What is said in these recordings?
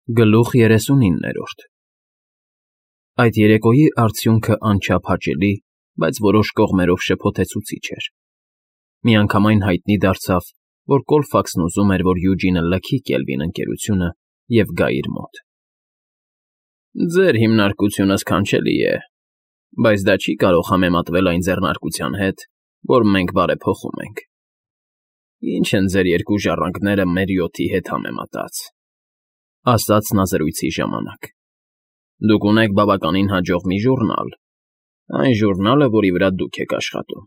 Գլուխ 39 Այդ երեկոյի արդյունքը անչափ հաճելի, բայց որոշ կողմերով շփոթեցուցիչ էր. միանգամայն հայտնի դարձավ, որ Կոլֆաքսն ուզում էր, որ Յուջինը լքի Կելվին ընկերությունը և գա իր մոտ։ Ձեր հիմնարկությունը սքանչելի է, բայց դա չի կարող համեմատվել այն ձեռնարկության հետ, որ մենք բարեփոխում ենք։ Ինչ են ձեր երկու ժառանգները մեր 7-ի հետ համեմատած, ասաց նա զրույցի ժամանակ։ Դուք ունեք բավականին հաջող մի ժուռնալ, այն ժուռնալը, որի վրա դուք եք աշխատում,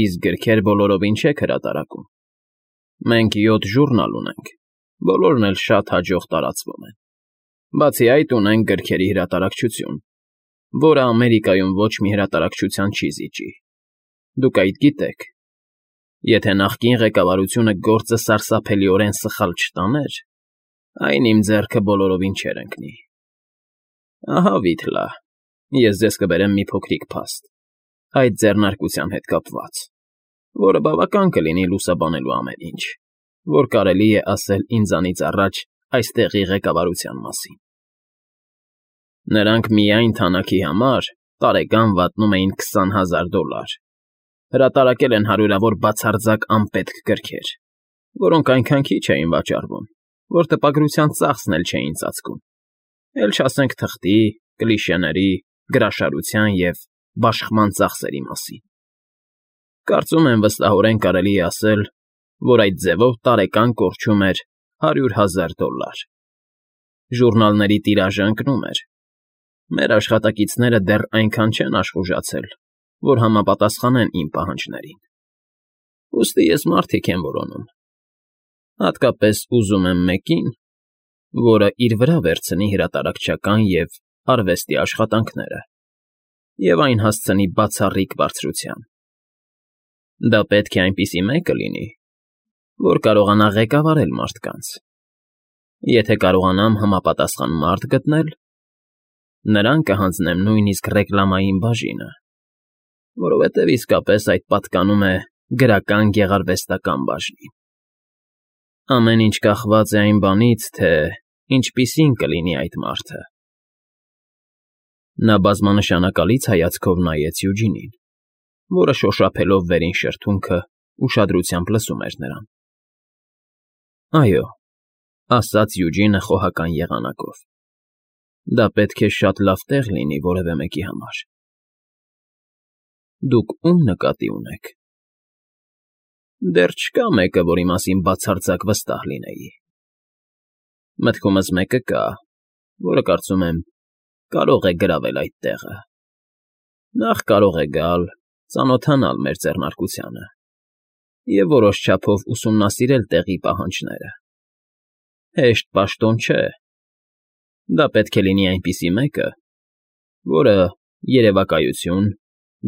իսկ գրքեր բոլորովին չեք հրատարակում։ Մենք 7 ժուռնալ ունենք, բոլորն էլ շատ հաջող տարածվում են։ Բացի այդ ունենք գրքերի հրատարակչություն, որը Ամերիկայում ոչ մի հրատարակչության չի զիջի։ Դուք այդ գիտեք։ Եթե նախկին ղեկավարությունը գործը սարսափելիորեն սխալ չտաներ, այն իմ ձեռքը բոլորովին չէր ընկնի։ Ահա Վիթլա, ես ձեզ կբերեմ մի փոքրիկ փաստ, այդ ձեռնարկության հետ կապված, որը բավական կլինի լուսաբանելու ամեն ինչ, որ կարելի է ասել ինձանից առաջ այստեղի ղեկավարության մասին։ Նրանք միայն թանաքի համար տարեկան վատնում էին $20,000, հրատարակել են հարյուրավոր բացարձակ անպետք գրքեր, որոնք այնքան քիչ էին վաճառվում, որ տպագրության ծախսն էլ չէին ծածկում, էլ չասենք թղթի, կլիշեների, գրաշարության և բաշխման ծախսերի մասին։ Կարծում եմ վստահորեն կարելի է ասել, որ այդ ձևով տարեկան կորչում էր $100,000։ Ժուռնալների տիրաժը ընկնում էր։ Մեր աշխատակիցները դեռ այնքան չեն աշխուժացել, որ համապատասխանեն իմ պահանջներին։ Ուստի ես մարդիկ եմ որոնում։ Հատկապես ուզում եմ մեկին, որը իր վրա վերցնի հրատարակչական և արվեստի աշխատանքները և այն հասցնի բացառիկ բարձրության։ Դա պետք է այնպիսի մեկը լինի, որ կարողանա ղեկավարել մարդկանց։ Եթե կարողանամ համապատասխան մարդ գտնել, նրան կհանձնեմ նույնիսկ ռեկլամային բաժինը, որովհետև իսկապես այդ պատկանում է գրական֊գեղարվեստական բաժնին։ Ամեն ինչ կախված է այն բանից, թե ինչպիսին կլինի այդ մարդը։ Նա բազմանշանակալից հայացքով նայեց Յուջինին, որը շոշափելով վերին շրթունքը ուշադրությամբ լսում էր նրան։ Այո, ասաց Յուջինը խոհական եղանակով, դա պետք է շատ լավ տեղ լինի որևէ մեկի համար։ Դուք ում նկատի ունեք։ Դեռ չկա մեկը, որի մասին բացարձակ վստահ լինեի։ Մտքումս մեկը կա, որը, կարծում եմ, կարող է գրավել այդ տեղը։ Նախ կարող է գալ, ծանոթանալ մեր ձեռնարկությանը և որոշ չափով ուսումնասիրել տեղի պահանջները։ Հեշտ պաշտոն չէ։ Դա պետք է լինի այնպիսի մեկը, որը երևակայություն,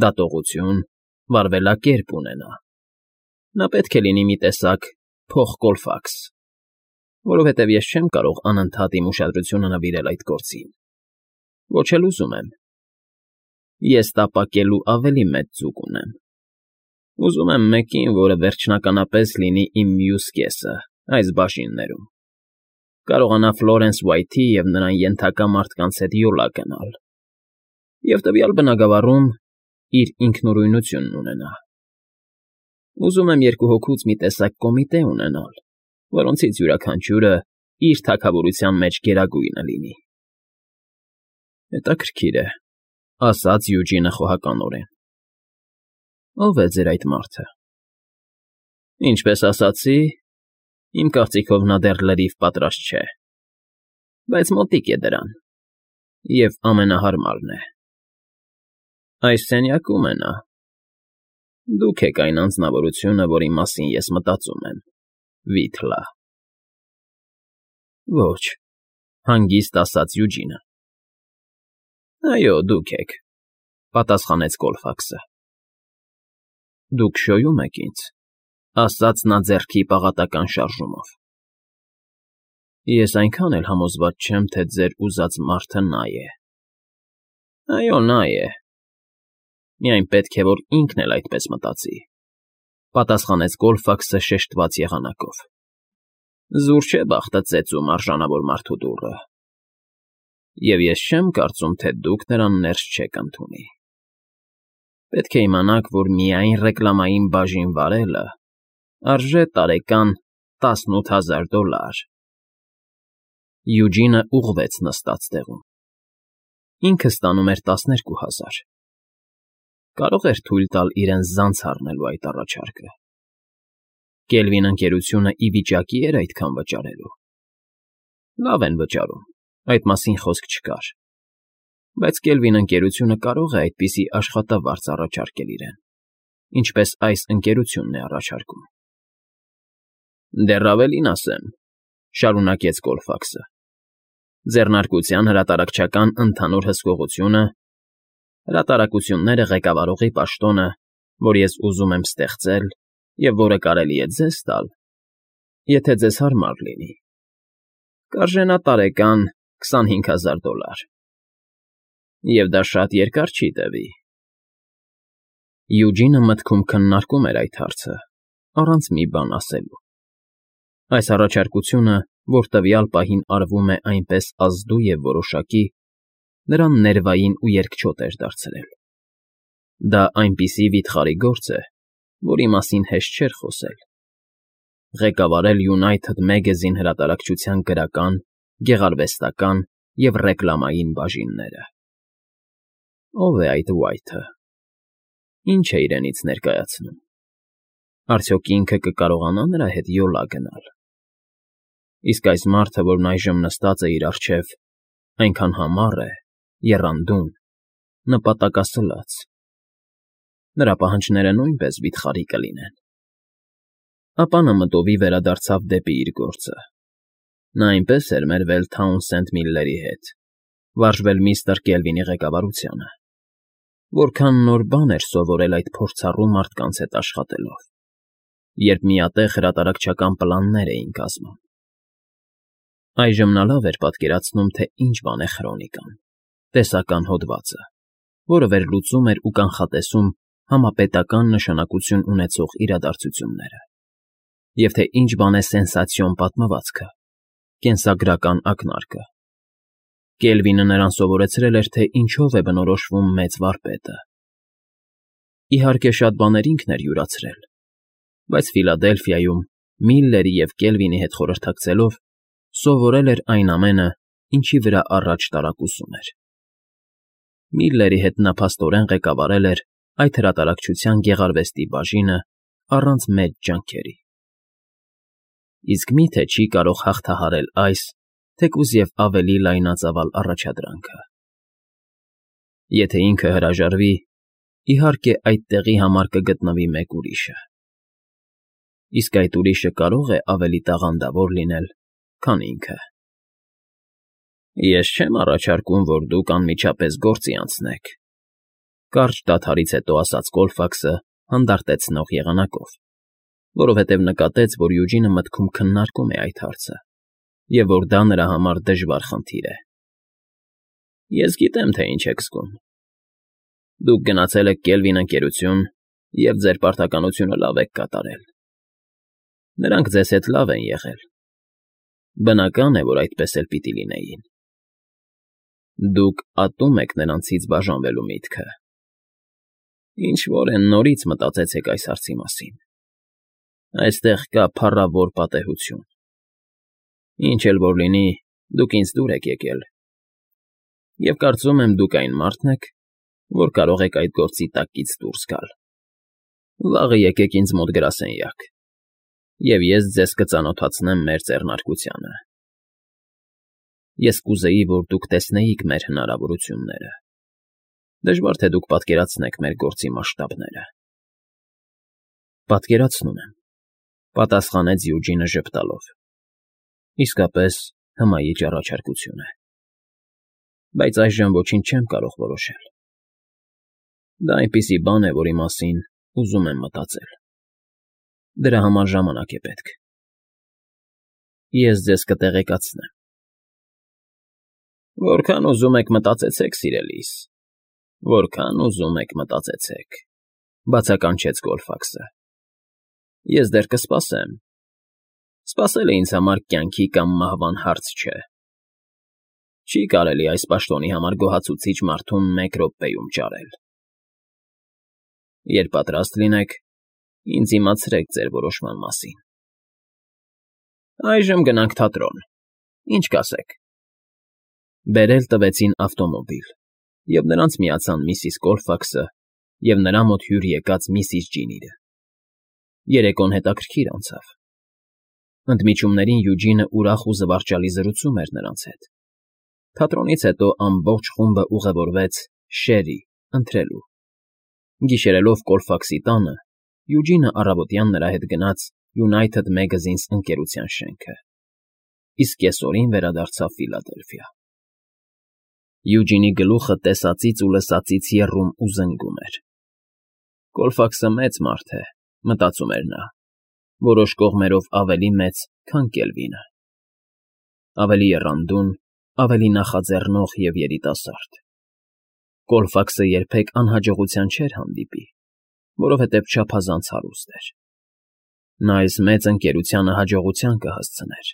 դատողություն, վարվելակերպ ունենա։ Նա պետք է լինի մի տեսակ փոխ֊Կոլֆաքս, որովհետև ես չեմ կարող անընդհատ իմ ուշադրությունը նվիրել այդ գործին։ Ոչ էլ ուզում եմ։ Ես տապակելու ավելի մեծ ձուկ ունեմ։ Ուզում եմ մեկին, որը վերջնականապես լինի իմ մյուս կեսը այս բաժիններում, կարողանա Ֆլորենս Ուայթի և նրան ենթակա մարդկանց հետ յոլա գնալ և տվյալ բնագավառում իր ինքնուրույնությունն ունենա։ Ուզում եմ երկու հոգուց մի տեսակ կոմիտե ունենալ, որոնցից յուրաքանչյուրը իր թագավորության մեջ գերագույնը լինի։ Հետաքրքիր է, ասաց Յուջինը խոհականորեն։ Ո՞վ է ձեր այդ մարդը։ Ինչպես ասացի, իմ կարծիքով նա դեռ լրիվ պատրաստ չէ, բայց մոտիկ է դրան և ամենահարմարն է։ Այս սենյակում է նա։ Դուք եք այն անձնավորությունը, որի մասին ես մտածում եմ, Վիթլա։ Ոչ, հանգիստ ասաց Յուջինը։ Այո, դուք եք, պատասխանեց Կոլֆաքսը։ Դուք շոյում եք ինձ, ասաց նա ձեռքի պաղատական շարժումով։ Ես այնքան էլ համոզված չեմ, թե ձեր ուզած մարդը նա է։ Այո, նա է։ Միայն պետք է, որ ինքն էլ այդպես մտածի, պատասխանեց Կոլֆաքսը շեշտված եղանակով։ Զուր չէ բախտը ծեծում արժանավոր մարդու դուռը, և ես չեմ կարծում, թե դուք նրան ներս չեք ընդունի։ Պետք է իմանաք, որ միայն ռեկլամային բաժին վարելը արժե տարեկան $18,000։ Յուջինը ուղղվեց նստած տեղում։ Ինքը ստանում էր 12,000։ Կարող էր թույլ տալ իրեն զանց առնելու այդ առաջարկը։ Կելվին ընկերությունը ի վիճակի էր այդքան վճարելու։ Լավ են վճարում, այդ մասին խոսք չկար, բայց Կելվին ընկերությունը կարող է այդպիսի աշխատավարձ առաջարկել իրեն, ինչպես այս ընկերությունն է առաջարկում։ Դեռ ավելին ասեմ, շարունակեց Կոլֆաքսը, ձեռնարկության հրատարակչական ընդհանուր հսկողությունը, հրատարակությունները ղեկավարողի պաշտոնը, որ ես ուզում եմ ստեղծել և որը կարելի է ձեզ տալ, եթե ձեզ հարմար լինի, կարժենա տարեկան $25,000։ Եվ դա շատ երկար չի տևի։ Յուջինը մտքում քննարկում էր այդ հարցը, առանց մի բան ասելու։ Այս առաջարկությունը, որ տվյալ պահին արվում է այնպես ազդու և որոշակի, նրան ներվային ու երկչոտ էր դարձրել։ Դա այնպիսի վիթխարի գործ է, որի մասին հեշտ չէր խոսել։ Ղեկավարել United Magazine հրատարակչության գրական, գեղարվեստական և ռեկլամային բաժինները։ Ո՞վ է այդ Ուայթը։ Ինչ է իրենից ներկայացնում։ Արդյոք ինքը կկարողանա նրա հետ յոլա գնալ։ Իսկ այս մարդը, որն այժմ նստած է իր առջև, այնքան համառ է, եռանդուն, նպատակասլաց։ Նրա պահանջները նույնպես վիթխարի կլինեն։ Ապա նա մտովի վերադարձավ դեպի իր գործը։ Նա այնպես էր մերվել Թաունսենդ Միլլերի հետ, վարժվել միստր Կելվինի ղեկավարությանը։ Որքան նոր բան էր սովորել այդ փորձառու մարդկանց հետ աշխատելով, երբ միատեղ հրատարակչական պլաններ էին կազմում։ Այժմ նա լավ էր պատկերացնում, թե ինչ բան է քրոնիկան, տեսական հոդվածը, որը վերլուծում էր ու կանխատեսում համապետական նշանակություն ունեցող իրադարձությունները, և թե ինչ բան է սենսացիոն պատմվածքը, կենսագրական ակնարկը։ Կելվինը նրան սովորեցրել էր, թե ինչով է բնորոշվում մեծ վարպետը։ Իհարկե, շատ բաներ ինքն էր յուրացրել, բայց Ֆիլադելֆիայում Միլլերի և Կելվինի հետ խորհրդակցելով սովորել էր այն ամենը, ինչի վրա առաջ տարակուսում էր։ Միլլերի հետ նա փաստորեն ղեկավարել էր այդ հրատարակչության գեղարվեստի բաժինը առանց մեծ ջանքերի։ Իսկ մի՞թե չի կարող հաղթահարել այս, թեկուզ և ավելի լայնածավալ առաջադրանքը։ Եթե ինքը հրաժարվի, իհարկե այդ տեղի համար կգտնվի մեկ ուրիշը։ Իսկ այդ ուրիշը կարող է ավելի տաղանդավոր լինել, քան ինքը։ Ես չեմ առաջարկում, որ դուք անմիջապես գործի անցնեք, կարճ դադարից հետո ասաց Կոլֆաքսը հանդարտեցնող եղանակով, որովհետև նկատեց, որ Յուջինը մտքում քննարկում է այդ հարցը, և որ դա նրա համար դժվար խնդիր է։ Ես գիտեմ, թե ինչ եք զգում։ Դուք գնացել եք Կելվին ընկերություն և ձեր պարտականությունը լավ եք կատարել։ Նրանք ձեզ հետ լավ են եղել։ Բնական է, որ այդպես էլ պիտի լինեին։ Դուք ատում եք նրանցից բաժանվելու միտքը։ Ինչ-որ են նորից մտածեցեք այս հարցի մասին։ Այստեղ կա փառավոր պատեհություն։ Ինչ էլ որ լինի, դուք ինձ դուր եք եկել։ Եվ կարծում եմ, դուք այն մարդն եք, որ կարող եք այդ գործի տակից դուրս գալ։ Վաղը եկեք ինձ մոտ գրասենյակ, և ես ձեզ կծանոթացնեմ մեր ձեռնարկությանը։ Ես կուզեի, որ դուք տեսնեիք մեր հնարավորությունները։ Դժվար թե դուք պատկերացնեք մեր գործի մասշտաբները։ Պատկերացնում եմ, պատասխանեց Յուջինը ժպտալով։ Իսկապես հմայիչ առաջարկություն է։ Բայց այժմ ոչինչ չեմ կարող որոշել։ Դա այնպիսի բան է, որի մասին ուզում եմ մտածել։ Դրա համար ժամանակ է պետք։ Ես ձեզ կտեղեկացնեմ։ Որքան ուզում եք մտածեցեք, սիրելիս, որքան ուզում եք մտածեցեք, բացականչեց Կոլֆաքսը։ Ես դեռ կսպասեմ։ Սպասելը ինձ համար կյանքի կամ մահվան հարց չէ։ Չի կարելի այս պաշտոնի համար գոհացուցիչ մարդուն 1 րոպեում ճարել։ Երբ պատրաստ լինեք, ինձ իմացրեք ձեր որոշման մասին։ Այժմ գնանք թատրոն, ինչ կասեք։ Բերել տվեցին ավտոմոբիլ, և նրանց միացան միսիս Կոլֆաքսը և նրա մոտ հյուր եկած միսիս Ջինիը։ Երեկոն հետաքրքիր անցավ։ Ընդմիջումներին Յուջինը ուրախ ու զվարճալի զրուցում էր նրանց հետ։ Թատրոնից հետո ամբողջ խումբը ուղևորվեց Շերի ընթրելու։ Գիշերելով Կոլֆաքսի տանը, Յուջինը առավոտյան նրա հետ գնաց United Magazines ընկերության շենքը, իսկ կեսօրին վերադարձավ Ֆիլադելֆիա։ Յուջինի գլուխը տեսածից ու լսածից եռում ու զնգում էր։ Կոլֆաքսը մեծ մարդ է, մտածում էր նա, որոշ կողմերով ավելի մեծ, քան Կելվինը։ Ավելի եռանդուն, ավելի նախաձեռնող և երիտասարդ։ Կոլֆաքսը երբեք անհաջողության չէր հանդիպի, որովհետև չափազանց հարուստ էր։ Նա այս մեծ ընկերությանը հաջողության կհասցներ,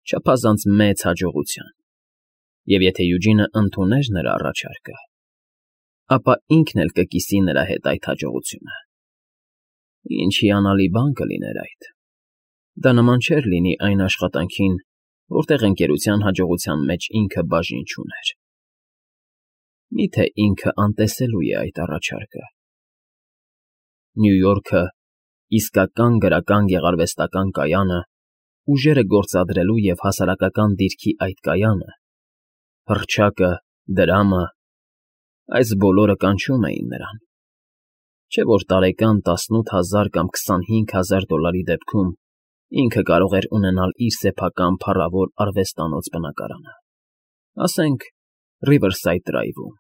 չափազանց մեծ հաջողության, և եթե Յուջինը ընդուներ նրա առաջարկը, ապա ինքն էլ կկիսի նրա հետ այդ հաջողությունը։ Ինչ հիանալի բան կլիներ այդ։ Դա նման չէր լինի այն աշխատանքին, որտեղ ընկերության հաջողության մեջ ինքը բաժին չուներ։ Միթե ինքը անտեսելու է այդ առաջարկը։ Նյու Յորքը, իսկական գրական գեղարվեստական կայանը, ուժերը գործադրելու և հասարակական դիրքի այդ կայանը, հռչակը, դրամը, այս բոլորը կանչում էին նրան։ Չէ՞ որ տարեկան 18,000 կամ 25,000 դոլարի դեպքում ինքը կարող էր ունենալ իր սեփական փառավոր արվեստանոց բնակարանը, ասենք Riverside Drive-ում,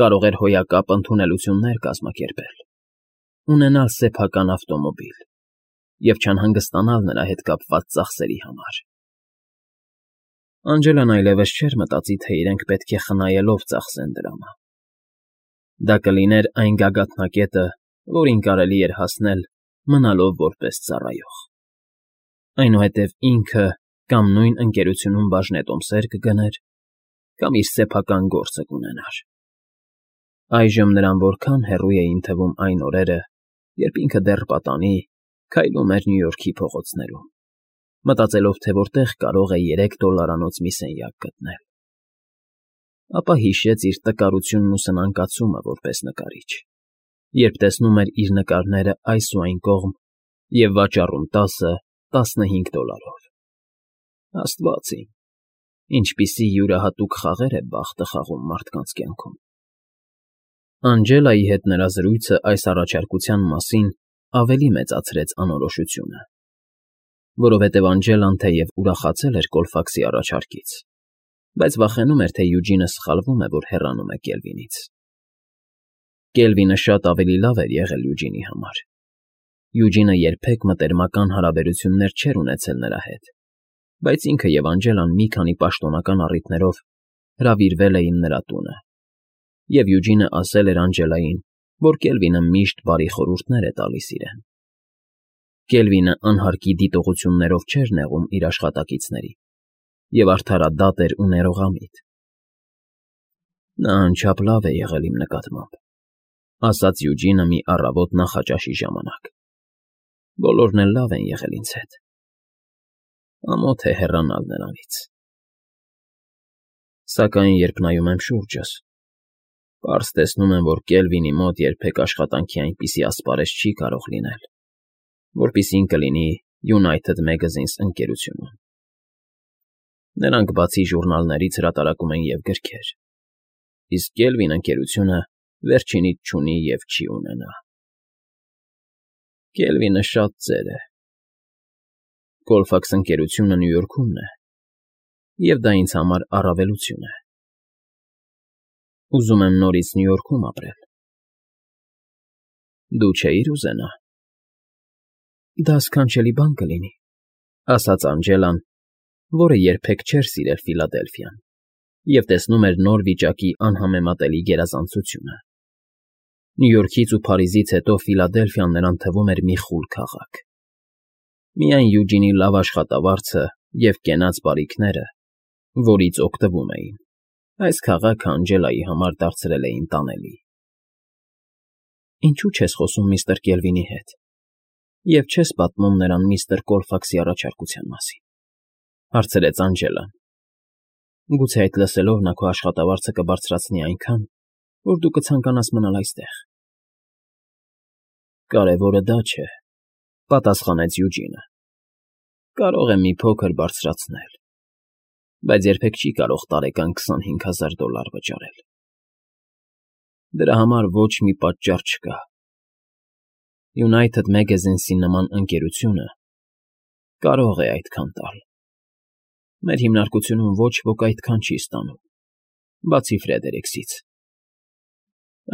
կարող էր հոյակապ ընդունելություններ կազմակերպել, ունենալ սեփական ավտոմոբիլ և չանհանգստանալ նրա հետ կապված ծախսերի համար։ Անջելան այլևս չէր մտածի, թե իրենք պետք է խնայելով ծախսեն դրամը։ Դա կլիներ այն գագաթնակետը, որին կարելի էր հասնել, մնալով որպես ծառայող։ Այնուհետև ինքը կամ նույն ընկերությունում բաժնետոմսեր կգներ, կամ իր սեփական գործը կունենար։ Այժմ նրան որքան հեռու էին թվում այն օրերը, երբ ինքը դեռ պատանի, քայլում էր Նյու Յորքի փողոցներում, մտածելով, թե որտեղ կարող է $3 մի սենյակ գտնել։ Ապա հիշեց իր տկարությունն ու սնանկացումը որպես նկարիչ, երբ տեսնում էր իր նկարները այս ու այն կողմ և վաճառում $10-15։ Աստված իմ, ինչպիսի յուրահատուկ խաղեր է բախտը խաղում մարդկանց կյանքում։ Անջելայի հետ նրա զրույցը այս առաջարկության մասին ավելի մեծացրեց անորոշությունը, որովհետև Անջելան թեև ուրախացել էր Կոլֆաքսի առաջարկից, բայց վախենում էր, թե Յուջինը սխալվում է, որ հեռանում է Կելվինից։ Կելվինը շատ ավելի լավ էր եղել Յուջինի համար։ Յուջինը երբեք մտերմական հարաբերություններ չէր ունեցել նրա հետ, բայց ինքը և Անջելան մի քանի պաշտոնական առիթներով հրավիրվել էին նրա տունը, և Յուջինը ասել էր Անջելային, որ Կելվինը միշտ բարի խորհուրդներ է տալիս իրեն։ Կելվինը անհարկի դիտողություններով չէր նեղում իր աշխատակիցներին և արդարադատ էր ու ներողամիտ։ Նա անչափ լավ է եղել իմ նկատմամբ, ասաց Յուջինը մի առավոտ նախաճաշի ժամանակ։ Բոլորն էլ լավ են եղել ինձ հետ։ Ամոթ է հեռանալ նրանից։ Սակայն երբ նայում եմ շուրջս, պարզ տեսնում եմ, որ Կելվինի մոտ երբեք աշխատանքի այնպիսի ասպարեզ չի կարող լինել, որպիսին կլինի United Magazines ընկերությունում։ Նրանք բացի ժուրնալներից հրատարակում են և գրքեր, իսկ Կելվին ընկերությունը վերջինից չունի և չի ունենա։ Կելվինը շատ ծեր է։ Կոլֆաքս ընկերությունը Նյու Յորքումն է, և դա ինձ համար առավելություն է։ Ուզում եմ նորից Նյու Յորքում ապրել։ Դու չէիր ուզենա։ Դա սքանչելի բան կլինի, ասաց Անջելան, որը երբեք չէր սիրել Ֆիլադելֆիան և տեսնում էր նոր վիճակի անհամեմատելի գերազանցությունը։ Նյու Յորքից ու Փարիզից հետո Ֆիլադելֆիան նրան թվում էր մի խուլ քաղաք։ Միայն Յուջինի լավ աշխատավարձը և կենաց բարիքները, որից օգտվում էին, այս քաղաքը Անգելայի համար դարձրել էին տանելի։ ֊ Ինչո՞ւ չես խոսում միստր Կելվինի հետ և չես պատմում նրան միստր Կոլֆաքսի առաջարկության մասին,֊ հարցրեց Անգելան։ ֊ Գուցե այդ լսելով նա քո աշխատավարձը կբարձրացնի այնքան, որ դու կցանկանաս մնալ այստեղ։ ֊ Կարևորը դա չէ,֊ պատասխանեց Յուջինը։ Կարող է մի փոքր բարձրացնել, բայց երբեք չի կարող տարեկան $25,000 վճարել։ Դրա համար ոչ մի պատճառ չկա։ United Magazines-ի նման ընկերությունը կարող է այդքան տալ։ Մեր հիմնարկությունում ոչ ոք այդքան չի ստանում, բացի Ֆրեդերիքսից։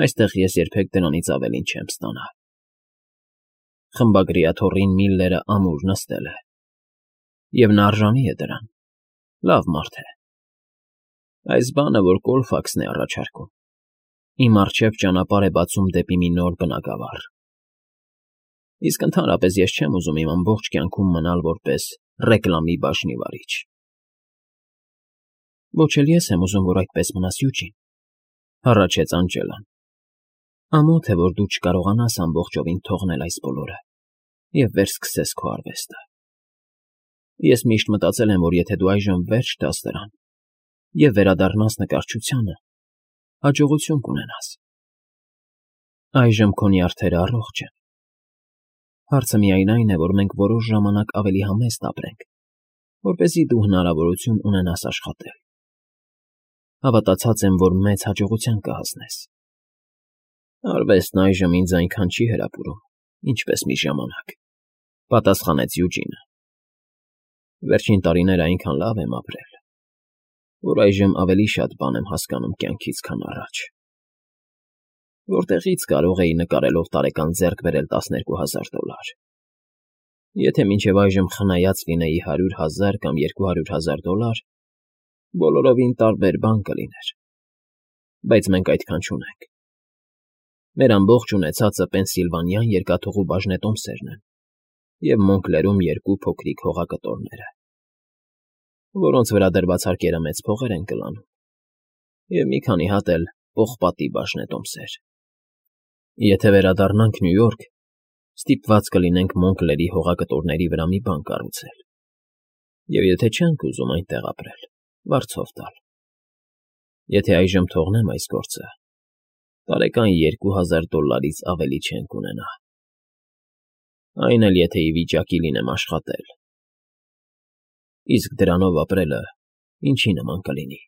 Այստեղ ես երբեք դրանից ավելին չեմ ստանա։ Խմբագրիաթոռին Միլլերը ամուր նստել է, և նա արժանի է դրան, լավ մարդ է։ Այս բանը, որ Կոլֆաքսն է առաջարկում, իմ առջև ճանապարհ է բացում դեպի մի նոր բնագավառ։ Իսկ ընդհանրապես ես չեմ ուզում իմ ամբողջ կյանքում մնալ որպես ռեկլամի բաժնի վարիչ։ ֊ Ոչ էլ ես եմ ուզում, որ այդպես մնաս, Յուջին,֊ հառաչեց Անգելան։ Ամոթ է, որ դու չկարողանաս ամբողջովին թողնել այս բոլորը և վերսկսես քո արվեստը։ Ես միշտ մտածել եմ, որ եթե դու այժմ վերջ տաս դրան և վերադառնաս նկարչությանը, հաջողություն կունենաս։ Այժմ քո նյարդերը առողջ են։ Հարցը միայն այն է, որ մենք որոշ ժամանակ ավելի համեստ ապրենք, որպեսզի դու հնարավորություն ունենաս աշխատել։ Հավատացած եմ, որ մեծ հաջողության կհասնես։ Արվեստն այժմ ինձ այնքան չի հրապուրում, ինչպես մի ժամանակ,֊ պատասխանեց Յուջինը։ Վերջին տարիները այնքան լավ եմ ապրել, որ այժմ ավելի շատ բան եմ հասկանում կյանքից, քան առաջ։ Որտեղի՞ց կարող էի նկարելով տարեկան ձեռք բերել $12,000։ Եթե մինչև այժմ խնայած լինեի $100,000 կամ $200,000, բոլորովին տարբեր բան կլիներ, բայց մենք այդքան չունենք։ Մեր ամբողջ ունեցածը Պենսիլվանյան երկաթուղու բաժնետոմսերն են և Մոնկլերում 2 փոքրիկ հողակտորները, որոնց վրա դրված հարկերը մեծ փողեր են կլանում, և մի քանի հատ էլ պողպատի բաժնետոմսեր։ Եթե վերադառնանք Նյու Յորք, ստիպված կլինենք Մոնկլերի հողակտորների վրա մի բան կառուցել, և եթե չենք ուզում այնտեղ ապրել, վարձով տալ։ Եթե այժմ թողնեմ այս գործը, տարեկան $2,000-ից ավելի չենք ունենա։ Այն էլ եթե ի վիճակի լինեմ աշխատել։ Իսկ դրանով ապրելը ինչի նման կլինի։